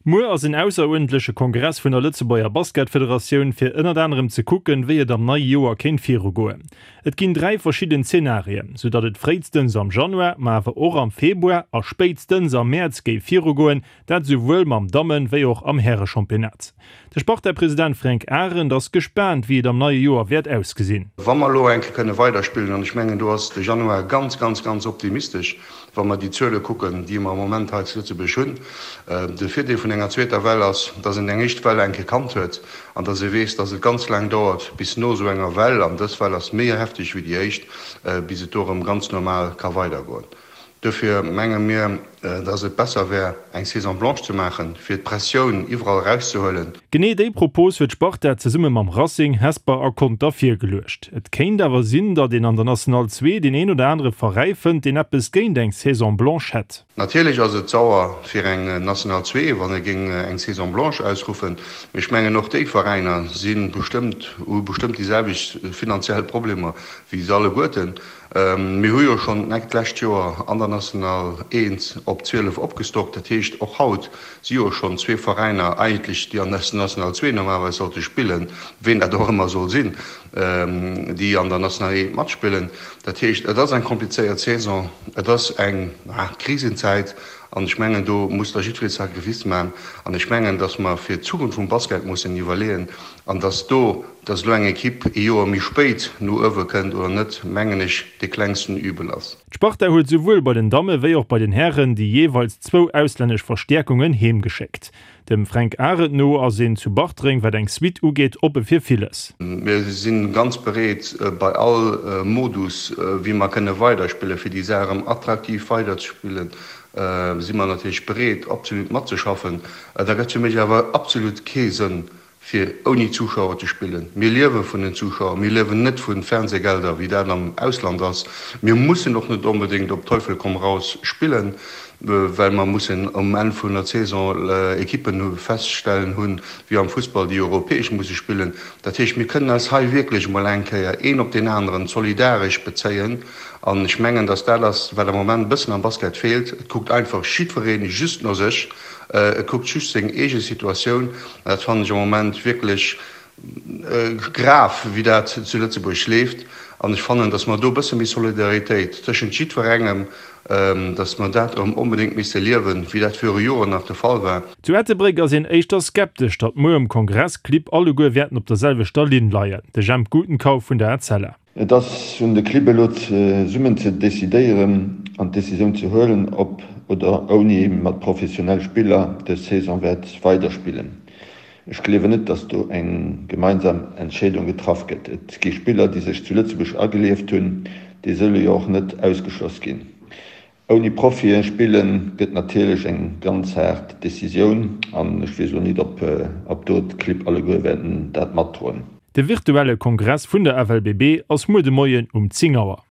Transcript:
Muer ass en ausseruerdentleche Kongress vun der Lëtzebuerger Basketfederatioun, fir ënnert anerem ze kucken, wéi et am neie Joer kéint virugoen. Et ginn 3 verschidden Zenarien, sou datt et fréitstens am Januar, ma awer och am Februar a spéitstens am Mäerz géif virugoen, dat souwuel mam Dammen wéi och am Härechampionnat. De Sparta-President Fränk Arendt ass gespaant, wéi et am neie Joer wäert ausgesinn. Wa mer elo eng Kéier kënne weiderspillen, an ech mengen do ass de Januar ganz, ganz, ganz optimistesch, Wa mer déi Zuele kucken, déi mer am Moment hei zu Lëtzebuerg hunn, de Virdeel vun enger zweeter Well ass, dass een eng éischt Well eng Kéier kannt huet an dass ee weess, dass et ganz laang dauert, bis no esou enger Well, an dës Well ass méi hefteg wéi déi éischt, bis et do erëm ganz normal ka weidergoen. Duerfir menge mir, dass et besser wär, eng Saison blanche ze maachen, fir d'Pressioun iwwerall erauszehuelen. Genee déi Propos huet d'Sparta zesumme mam Racing, Hesper a Conter virgeluecht. Et kéint awer sinn, datt een an der National 2 deen een oder anere Veräi fënnt, deen eppes géint eng Saison blanche hätt. Natierlech ass et sauer fir eng National 2, wann e géing eng Saison blanche ausruffen, mee ech mengen och déi Veräiner si bestëmmt, hu bestëmmt déi selwecht finanziell Problemer wéi se alleguerten. Mir hu jo schonn d'lescht Joer an der National 1 op 12 opgestockt. Dat heescht, och haut si jo schonn zwee Veräiner eigentlech, déi an der National 2 normalerweis sollte spillen, ween dat och ëmmer soll sinn, déi an der National 1 matspillen. Dat heescht, et ass eng komplizéiert Saison, et ass eng Krisenzäit an ech mengen, do muss da jiddweree Sacrifice maachen. An ech mengen, datt mer fir d'Zukunft vum Basket mussen iwwerleeën an datt do, Dass elo eng Ekipp ee Joer méi spéit no uewe kënnt oder net, mengen ech, de klengsten Übel ass. D'Sparta huet souwuel bei den Damme wéi och bei den Hären déi jeeweils zwou auslännesch Verstäerkungen heemgeschéckt. Dem Fränk Arendt no ass een zu Bartreng, wat eng Suite ugeet, oppe fir villes. Mir si ganz bereet, bei all Modus, wéi mer kënne weiderspillen, fir déi Saach erëm attraktiv weiderzespillen, si mer natierlech bereet, absolut matzeschaffen. Da gëtt fir mech awer absolut kee Sënn, fir ouni Zuschauer ze spillen. Mir liewe vun den Zuschauer, mir liewen net vu Fernsehgelder, wéi dat am Ausland ass. Mir mussen och net onbedéngt op Teufel komm raus spillen, well mer mussen um Enn vun der Saison Ekippen feststellen hunn, wéi am Fussball, déi europäesch musse spillen. Dat heescht, mir kënnen eis hei wierklech emol eng Kéier een op deen aneren solidaresch bezéien. An ech mengen, dass dat ass, wat am Moment e bëssen am Basket feelt. Et kuckt einfach jiddweree just no sech. Et kuckt just seng eege Situatioun. An dat fannen ech am Moment wierklech grav, wéi dat zu Lëtzebuerg leeft. An ech fannen, datt mer do e bësse méi Solidaritéit tëschent jiddwerengem, datt mer dat erëm onbedéngt misse liewen, wéi dat viru Joren nach de Fall war. Zu Ettelbréck ass een éischter skeptesch, datt muer um Kongress d'Clibb alleguer wäerten op der selwechter Linn leien. De Jemp Gutenkauf vun der Etzella. Et ass un de Clibb elo zesummen ze decidéieren an d'Decisioun ze huelen, ob oder ouni mat professionell Spiller dës Saison wäert weiderspillen. Ech gleewen net, datt do eng gemeinsam Entscheedung getraff gëtt. Et gi Spiller, déi sech zu Lëtzebuerg agelieft hunn, déi solle jo och net ausgeschloss ginn. Ouni Profien spillen gëtt natierlech eng ganz haart Decisioun an ech weess elo nit op op do d'Clibb alleguer wäerten dat matdroen. De virtuelle Kongress vun der FLBB ass muer de Moien um 10 Auer.